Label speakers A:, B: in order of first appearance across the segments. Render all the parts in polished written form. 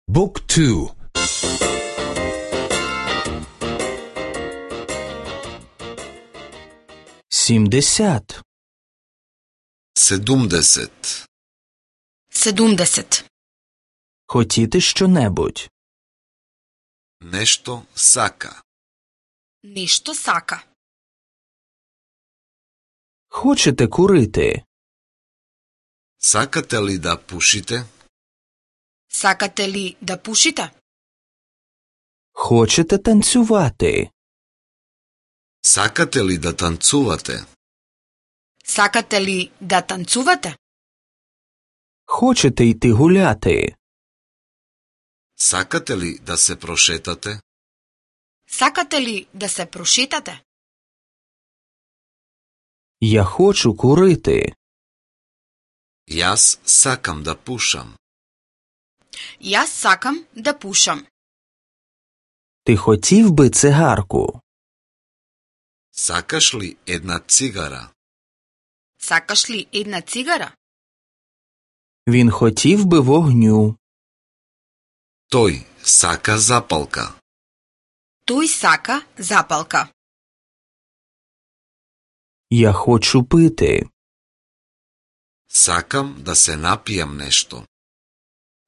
A: Book 2.
B: 70.
C: 70.
D: 70.
B: Хотіти що-небудь.
C: Нешто сака.
D: Нешто сака.
B: Хочете курити?
C: Сакате ли да пушите?
D: Сакате ли да пушите?
B: Хочете танцювати?
C: Сакате ли да танцувате?
D: Сакате ли да танцувате?
B: Хочете йти гуляти?
C: Сакате ли да се прошетате?
D: Сакате ли да се прошетате?
B: Я хочу курити.
C: Јас сакам да пушам.
D: Јас сакам да пушам.
B: Ти хотів би цигарку?
C: Сакаш ли една цигара?
D: Сакаш ли една цигара?
B: Він хотів би вогню.
C: Тој сака запалка.
D: Тој сака запалка.
B: Я хочу пити.
C: Сакам да се напијам нешто.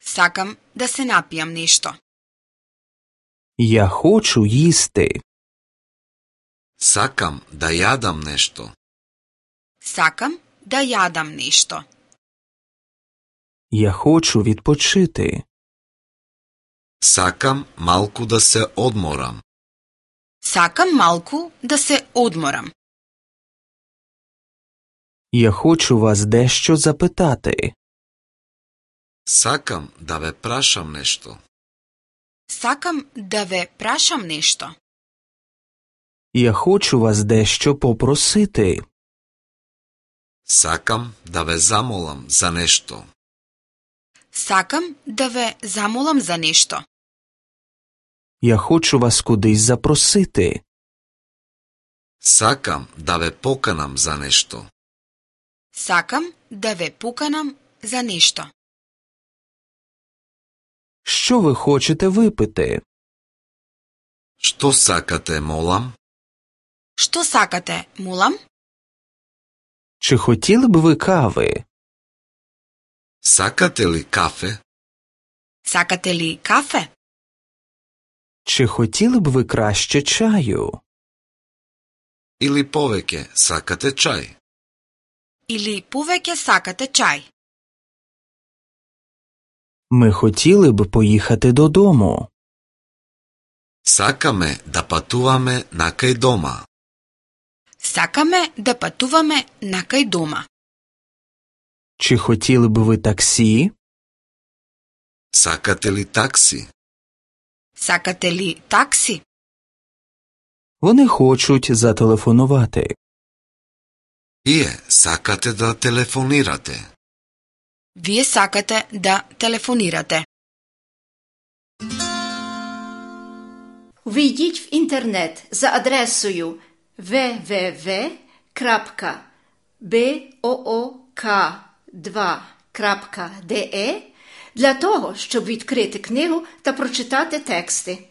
D: Сакам да се напијам нешто.
B: Я хочу їсти.
C: Сакам да јадам нешто.
D: Сакам да јадам нешто.
B: Я хочу відпочити.
C: Сакам малку да се одморам.
D: Сакам малку да се одморам.
B: Я хочу вас дещо запитати.
C: Сакам да ве прашам нешто.
D: Сакам да ве прашам нешто.
B: Я хочу вас дещо попросити.
C: Сакам да ве замолам за нешто.
D: Сакам да ве замолам за нешто.
B: Я хочу вас кудись запросити.
C: Сакам да ве поканам за нешто.
D: Сакам да ве поканам за нешто.
B: Що ви хочете випити?
C: Што сакате, молам?
D: Што сакате, молам?
B: Чи хотіли б ви кави?
C: Сакате ли кафе?
D: Сакате ли кафе?
B: Чи хотіли б ви краще чаю?
C: Или повеќе сакате чај?
D: Или повеќе сакате чај?
B: Ми хотіли б поїхати додому.
C: Сакаме да патуваме накај дома.
D: Сакаме да патуваме накај дома.
B: Чи хотіли б ви таксі?
C: Сакате ли такси?
D: Сакате ли такси?
B: Вони хочуть зателефонувати.
C: Вие сакате да телефонирате.
D: Вие сакате да телефонирате.
E: Увійдіть в інтернет за адресою www.book2.de для того, щоб відкрити книгу та прочитати тексти.